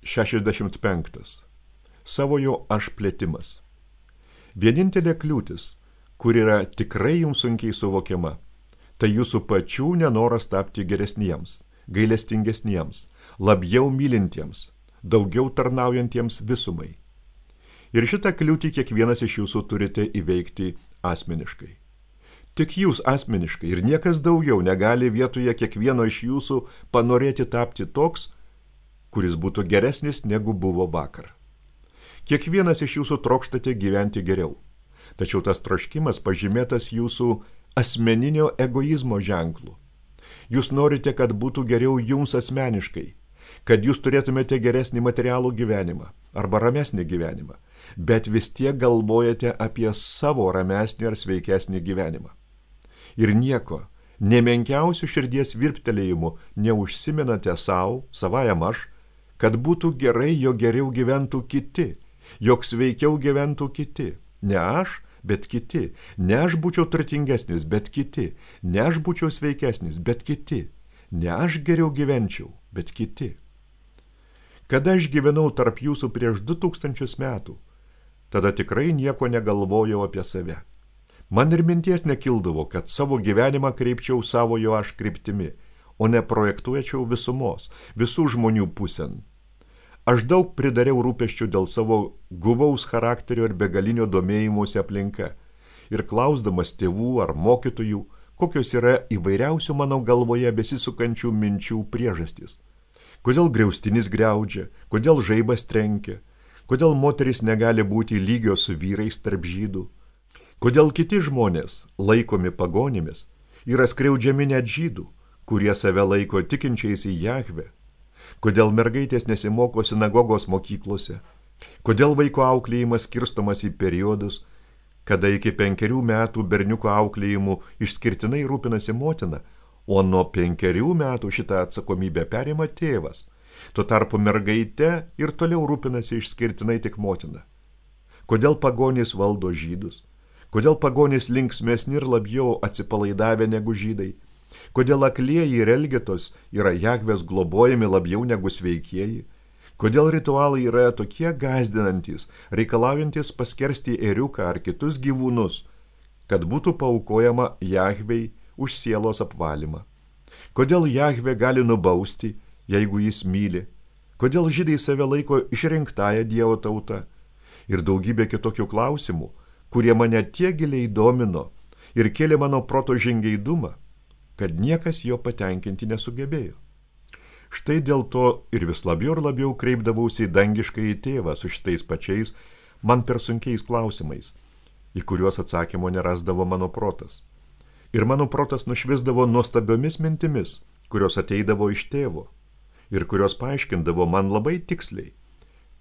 65. Savojo aš plėtimas. Vienintelė kliūtis, kur yra tikrai jums sunkiai suvokiama, tai jūsų pačių nenoras tapti geresniems, gailestingesniems, labiau mylintiems, daugiau tarnaujantiems visumai. Ir šitą kliūtį kiekvienas iš jūsų turite įveikti asmeniškai. Tik jūs asmeniškai ir niekas daugiau negali vietoje kiekvieno iš jūsų panorėti tapti toks, kuris būtų geresnis negu buvo vakar. Kiekvienas iš jūsų trokštate gyventi geriau, tačiau tas troškimas pažymėtas jūsų asmeninio egoizmo ženklu. Jūs norite, kad būtų geriau jums asmeniškai, kad jūs turėtumėte geresnį materialų gyvenimą arba ramesnį gyvenimą, bet vis tiek galvojate apie savo ramesnį ar sveikesnį gyvenimą. Ir nieko, nemenkiausių širdies virptelėjimų neužsimenate savajam aš, kad būtų gerai, jog geriau gyventų kiti, jog sveikiau gyventų kiti. Ne aš, bet kiti. Ne aš būčiau turtingesnis, bet kiti. Ne aš būčiau sveikesnis, bet kiti. Ne aš geriau gyvenčiau, bet kiti. Kada aš gyvenau tarp jūsų prieš 2000 metų, tada tikrai nieko negalvojau apie save. Man ir minties nekildavo, kad savo gyvenimą kreipčiau savojo aš kryptimi, o ne projektuočiau visumos, visų žmonių pusėn. Aš daug pridariau rūpesčių dėl savo guvaus charakterio ir begalinio domėjimosi aplinka ir klausdamas tėvų ar mokytojų, kokios yra įvairiausių mano galvoje besisukančių minčių priežastys. Kodėl griaustinis griaudžia, kodėl žaibas trenkia, kodėl moterys negali būti lygios su vyrais tarp žydų, kodėl kiti žmonės, laikomi pagonimis, yra skriaudžiami net žydų, kurie save laiko tikinčiais į Jahvę. Kodėl mergaitės nesimoko sinagogos mokyklose, kodėl vaiko auklėjimas skirstomas į periodus, kada iki 5 metų berniuko auklėjimu išskirtinai rūpinasi motina, o nuo 5 metų šitą atsakomybę perima tėvas. Tuo tarpu mergaite ir toliau rūpinasi išskirtinai tik motina. Kodėl pagonys valdo žydus, kodėl pagonys linksmesni ir labiau atsipalaidavę negu žydai, kodėl aklieji ir elgetos yra Jahvės globojami labiau negu sveikieji, kodėl ritualai yra tokie gąsdinantys, reikalaujantis paskersti ėriuką ar kitus gyvūnus, kad būtų paaukojama Jahvei už sielos apvalymą. Kodėl Jahvė gali nubausti, jeigu jis myli, kodėl žydai save laiko išrinktąją Dievo tautą ir daugybė kitokių klausimų, kurie mane tiek giliai domino ir kėlė mano proto žingeidumą, kad niekas jo patenkinti nesugebėjo. Štai dėl to ir vis labiau ir labiau kreipdavausi į dangiškąjį tėvą su šitais pačiais man per sunkiais klausimais, į kuriuos atsakymo nerasdavo mano protas. Ir mano protas nušvisdavo nuostabiomis mintimis, kurios ateidavo iš tėvo ir kurios paaiškindavo man labai tiksliai,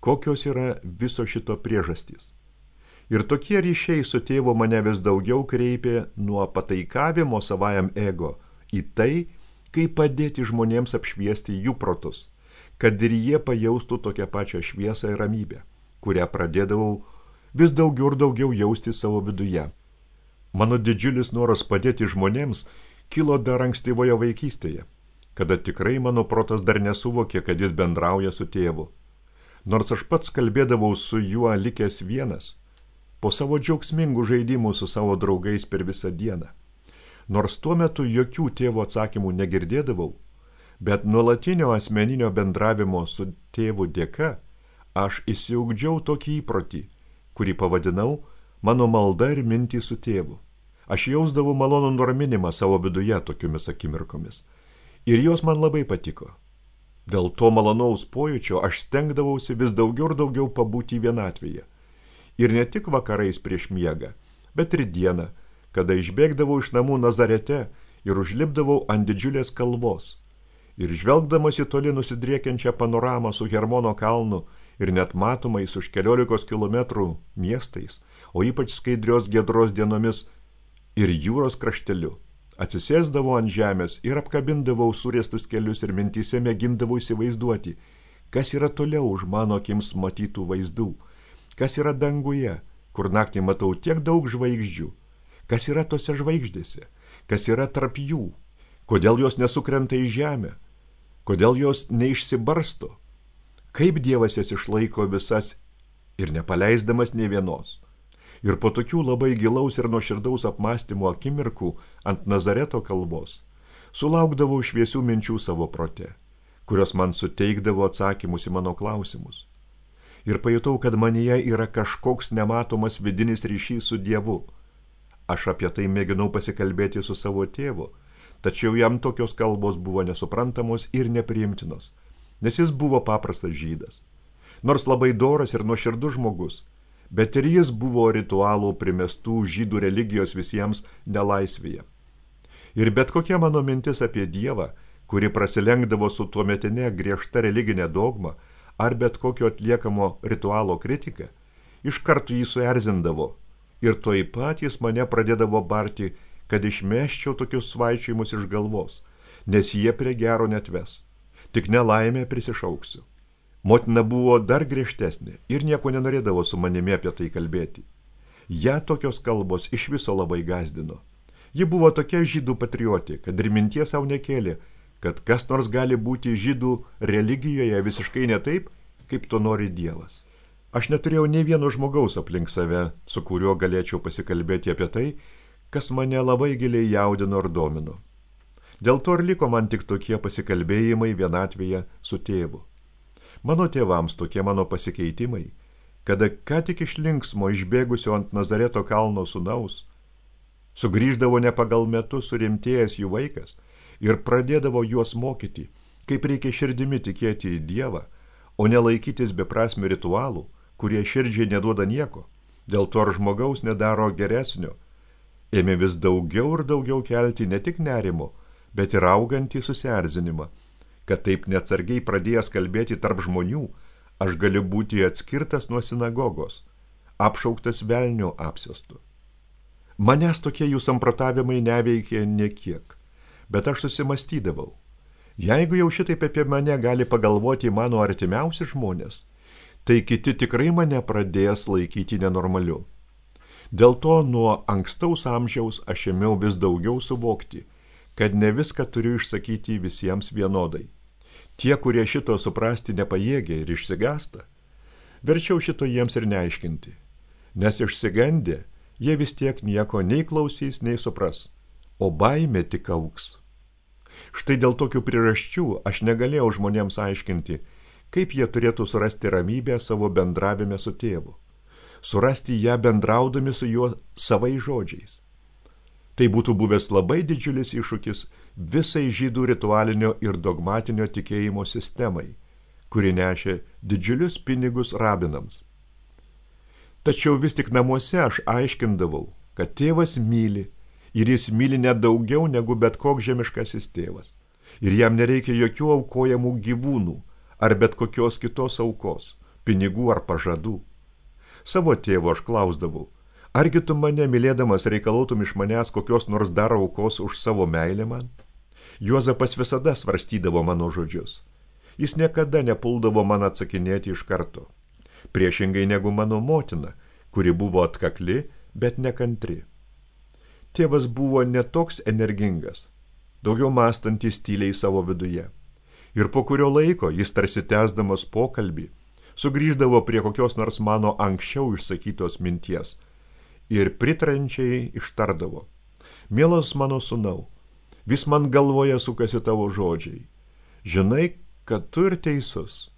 kokios yra viso šito priežastys. Ir tokie ryšiai su tėvu mane vis daugiau kreipė nuo pataikavimo savajam ego į tai, kaip padėti žmonėms apšviesti jų protus, kad ir jie pajaustų tokią pačią šviesą ir ramybę, kurią pradėdavau vis daugiau ir daugiau jausti savo viduje. Mano didžiulis noras padėti žmonėms kilo dar ankstyvoje vaikystėje, kada tikrai mano protas dar nesuvokė, kad jis bendrauja su tėvu. Nors aš pats kalbėdavau su juo likęs vienas, po savo džiaugsmingų žaidimų su savo draugais per visą dieną. Nors tuo metu jokių tėvo atsakymų negirdėdavau, bet nuolatinio asmeninio bendravimo su tėvu dėka aš išsiugdžiau tokį įprotį, kurį pavadinau mano malda ir mintį su tėvu. Aš jausdavau malonų nuraminimą savo viduje tokiomis akimirkomis. Ir jos man labai patiko. Dėl to malonaus pojūčio aš stengdavausi vis daugiau ir daugiau pabūti vienatvėje. Ir ne tik vakarais prieš miegą, bet ir dieną, kada išbėgdavau iš namų Nazarete ir užlipdavau ant didžiulės kalvos. Ir žvelgdamas į toli nusidriekiančią panoramą su Hermono kalnu ir net matomais už 14 kilometrų miestais, o ypač skaidrios giedros dienomis ir jūros krašteliu, atsisėsdavau ant žemės ir apkabindavau surėstus kelius ir mintyse mėgindavau įsivaizduoti, kas yra toliau už mano akims matytų vaizdų, kas yra danguje, kur naktį matau tiek daug žvaigždžių, kas yra tose žvaigždėse, kas yra tarp jų, kodėl jos nesukrenta į žemę, kodėl jos neišsibarsto, Kaip Dievas jas išlaiko visas ir nepaleisdamas nė vienos. Ir po tokių labai gilaus ir nuoširdaus apmąstymo akimirkų ant Nazareto kalvos sulaukdavau šviesių minčių savo prote, kurios man suteikdavo atsakymus į mano klausimus. Ir pajutau, kad manyje yra kažkoks nematomas vidinis ryšys su Dievu. Aš apie tai mėginau pasikalbėti su savo tėvu, tačiau jam tokios kalbos buvo nesuprantamos ir nepriimtinos, nes jis buvo paprastas žydas. Nors labai doras ir nuoširdus žmogus, bet ir jis buvo ritualų primestų žydų religijos visiems nelaisvėje. Ir bet kokia mano mintis apie Dievą, kuri prasilenkdavo su tuometinė griežta religinė dogma ar bet kokio atliekamo ritualo kritika, iš karto jį suerzindavo ir tuoj pat jis mane pradėdavo barti, kad išmesčiau tokius svaičiojimus iš galvos, nes jie prie gero netves, tik nelaimę prisišauksiu. Motina buvo dar griežtesnė ir nieko nenorėdavo su manimi apie tai kalbėti. Ja tokios kalbos iš viso labai gazdino. Ji buvo tokia žydų patriotė, kad ir minties savo nekėlė, kad kas nors gali būti žydų religijoje visiškai ne taip, kaip to nori Dievas. Aš neturėjau nei vieno žmogaus aplink save, su kuriuo galėčiau pasikalbėti apie tai, kas mane labai giliai jaudino ir domino. Dėl to ir liko man tik tokie pasikalbėjimai vienatvėje su tėvu. Mano tėvams tokie mano pasikeitimai, kada ką tik iš linksmo išbėgusio ant Nazareto kalno sūnaus, sugrįždavo ne pagal metus surimtėjęs jų vaikas ir pradėdavo juos mokyti, kaip reikia širdimi tikėti į Dievą, o nelaikytis beprasmių ritualų, kurie širdžiai neduoda nieko, dėl to ar žmogaus nedaro geresnio, ėmė vis daugiau ir daugiau kelti ne tik nerimo, bet ir augantį susierzinimą, kad taip neatsargiai pradėjęs kalbėti tarp žmonių, aš galiu būti atskirtas nuo sinagogos, apšauktas velnio apsėstu. Manęs tokie jų samprotavimai neveikė niekiek, bet aš susimastydavau. Jeigu jau šitaip apie mane gali pagalvoti mano artimiausi žmonės, tai kiti tikrai mane pradės laikyti nenormaliu. Dėl to nuo ankstaus amžiaus aš ėmiau vis daugiau suvokti, kad ne viską turiu išsakyti visiems vienodai. Tie, kurie šito suprasti nepajėgia ir išsigąsta, verčiau šito jiems ir neaiškinti, nes išsigandę jie vis tiek nieko nei klausys, nei supras, o baimė tik augs. Štai dėl tokių priežasčių aš negalėjau žmonėms aiškinti, kaip jie turėtų surasti ramybę savo bendravime su tėvu, surasti ją bendraudami su juo savai žodžiais. Tai būtų buvęs labai didžiulis iššūkis visai žydų ritualinio ir dogmatinio tikėjimo sistemai, kuri nešė didžiulius pinigus rabinams. Tačiau vis tik namuose aš aiškindavau, kad tėvas myli ir jis myli net daugiau negu bet koks žemiškasis tėvas. Ir jam nereikia jokių aukojamų gyvūnų ar bet kokios kitos aukos, pinigų ar pažadų. Savo tėvo aš klausdavau, argi tu mane mylėdamas reikalautum iš manęs kokios nors dar aukos už savo meilę man? Juozapas visada svarstydavo mano žodžius. Jis niekada nepuldavo man atsakinėti iš karto. Priešingai negu mano motina, kuri buvo atkakli, bet nekantri. Tėvas buvo netoks energingas, daugiau mąstantis tyliai savo viduje. Ir po kurio laiko jis tarsi tęsdamas pokalbį, sugrįždavo prie kokios nors mano anksčiau išsakytos minties ir pritrančiai ištardavo: mielas mano sūnau, vis man galvoje sukasi tavo žodžiai. Žinai, kad tu ir teisus.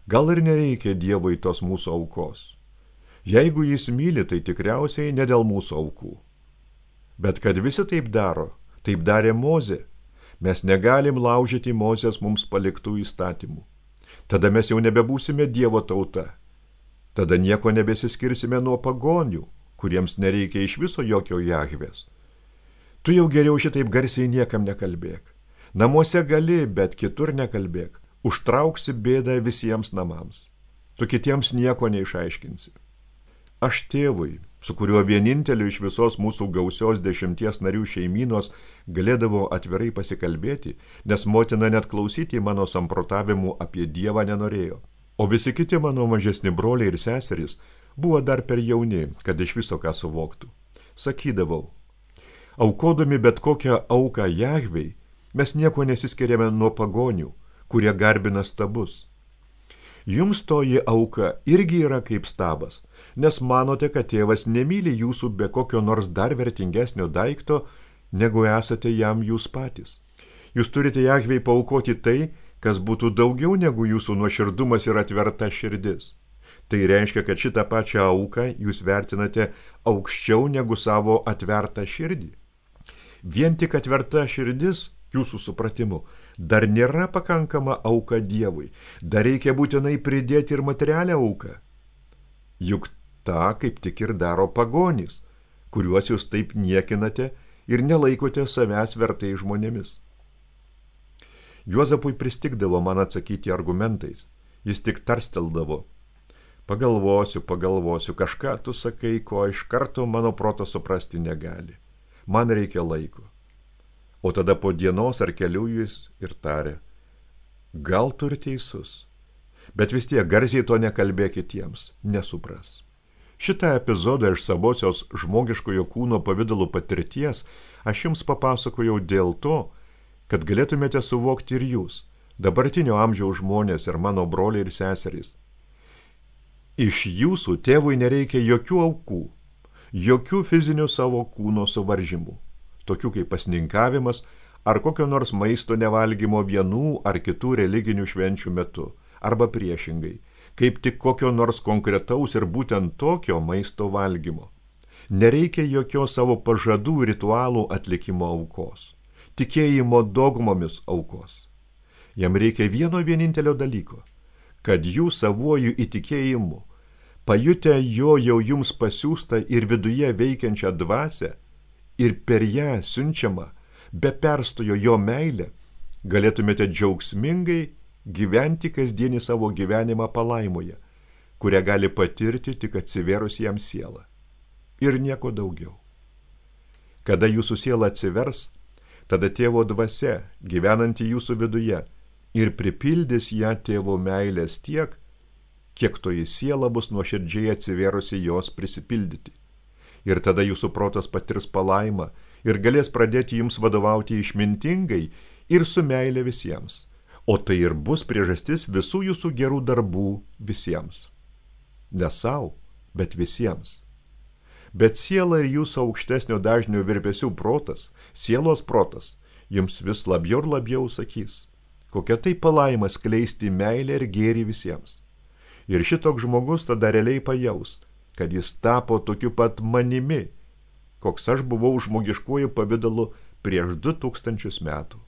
Gal ir nereikia Dievui tos mūsų aukos. Jeigu jis myli, tai tikriausiai ne dėl mūsų aukų. Bet kad visi taip daro, taip darė Mozė, mes negalim laužyti Mozės mums paliktų įstatymų. Tada mes jau nebebūsime Dievo tauta. Tada nieko nebesiskirsime nuo pagonių, kuriems nereikia iš viso jokio Jahvės. Tu jau geriau šitaip garsiai niekam nekalbėk. Namuose gali, bet kitur nekalbėk. Užtrauksi bėdą visiems namams. Tu kitiems nieko neišaiškinsi. Aš tėvui, su kuriuo vieninteliu iš visos mūsų gausios 10 narių šeimynos galėdavo atvirai pasikalbėti, nes motina net klausyti mano samprotavimų apie Dievą nenorėjo. O visi kiti mano mažesni broliai ir seserys buvo dar per jauni, kad iš viso ką suvoktų. Sakydavau, aukodami bet kokią auką Jahvei, mes nieko nesiskiriame nuo pagonių, kurie garbina stabus. Jums toji auka irgi yra kaip stabas, nes manote, kad tėvas nemyli jūsų be kokio nors dar vertingesnio daikto, negu esate jam jūs patys. Jūs turite Jahvei paaukoti tai, kas būtų daugiau negu jūsų nuoširdumas ir atverta širdis. Tai reiškia, kad šitą pačią auką jūs vertinate aukščiau negu savo atvertą širdį. Vien tik atverta širdis, jūsų supratimu, dar nėra pakankama auka Dievui. Dar reikia būtinai pridėti ir materialią auką. Juk tą kaip tik ir daro pagonys, kuriuos jūs taip niekinate ir nelaikote savęs vertai žmonėmis. Juozapui pristigdavo man atsakyti argumentais. Jis tik tarsteldavo. Pagalvosiu, kažką tu sakai, ko iš karto mano protas suprasti negali. Man reikia laiko. O tada po dienos ar kelių jis ir tarė. Gal tu ir teisus, bet vis tiek garsiai to nekalbėk kitiems, nesupras. Šitą epizodą iš savosios žmogiškojo kūno pavidalų patirties aš jums papasakojau dėl to, kad galėtumėte suvokti ir jūs, dabartinio amžiaus žmonės ir mano broliai ir seserys. Iš jūsų tėvui nereikia jokių aukų, jokių fizinių savo kūno suvaržymų, tokių kaip pasninkavimas ar kokio nors maisto nevalgymo vienų ar kitų religinių švenčių metu, arba priešingai, kaip tik kokio nors konkretaus ir būtent tokio maisto valgymo. Nereikia jokios savo pažadų ritualų atlikimo aukos, tikėjimo dogmomis aukos. Jam reikia vieno vienintelio dalyko, kad jūs savuoju įtikėjimu, pajutę jo jau jums pasiųstą ir viduje veikiančią dvasią ir per ją siunčiamą, be perstojo jo meilę, galėtumėte džiaugsmingai gyventi kasdienį savo gyvenimą palaimoje, kurią gali patirti tik atsivėrus jam sielą. Ir nieko daugiau. Kada jūsų siela atsivers, tada tėvo dvasia, gyvenanti jūsų viduje, ir pripildys ją tėvo meilės tiek, kiek toji siela bus nuoširdžiai atsivėrusi jos prisipildyti. Ir tada jūsų protas patirs palaimą ir galės pradėti jums vadovauti išmintingai ir su meile visiems. O tai ir bus priežastis visų jūsų gerų darbų visiems. Ne sau, bet visiems. Bet siela ir jūsų aukštesnio dažnio virpesių protas, sielos protas, jums vis labiau ir labiau sakys, kokia tai palaima skleisti meilę ir gėrį visiems. Ir šitoks žmogus tada realiai pajaus, kad jis tapo tokiu pat manimi, koks aš buvau žmogiškuoju pavidalu prieš 2000 metų.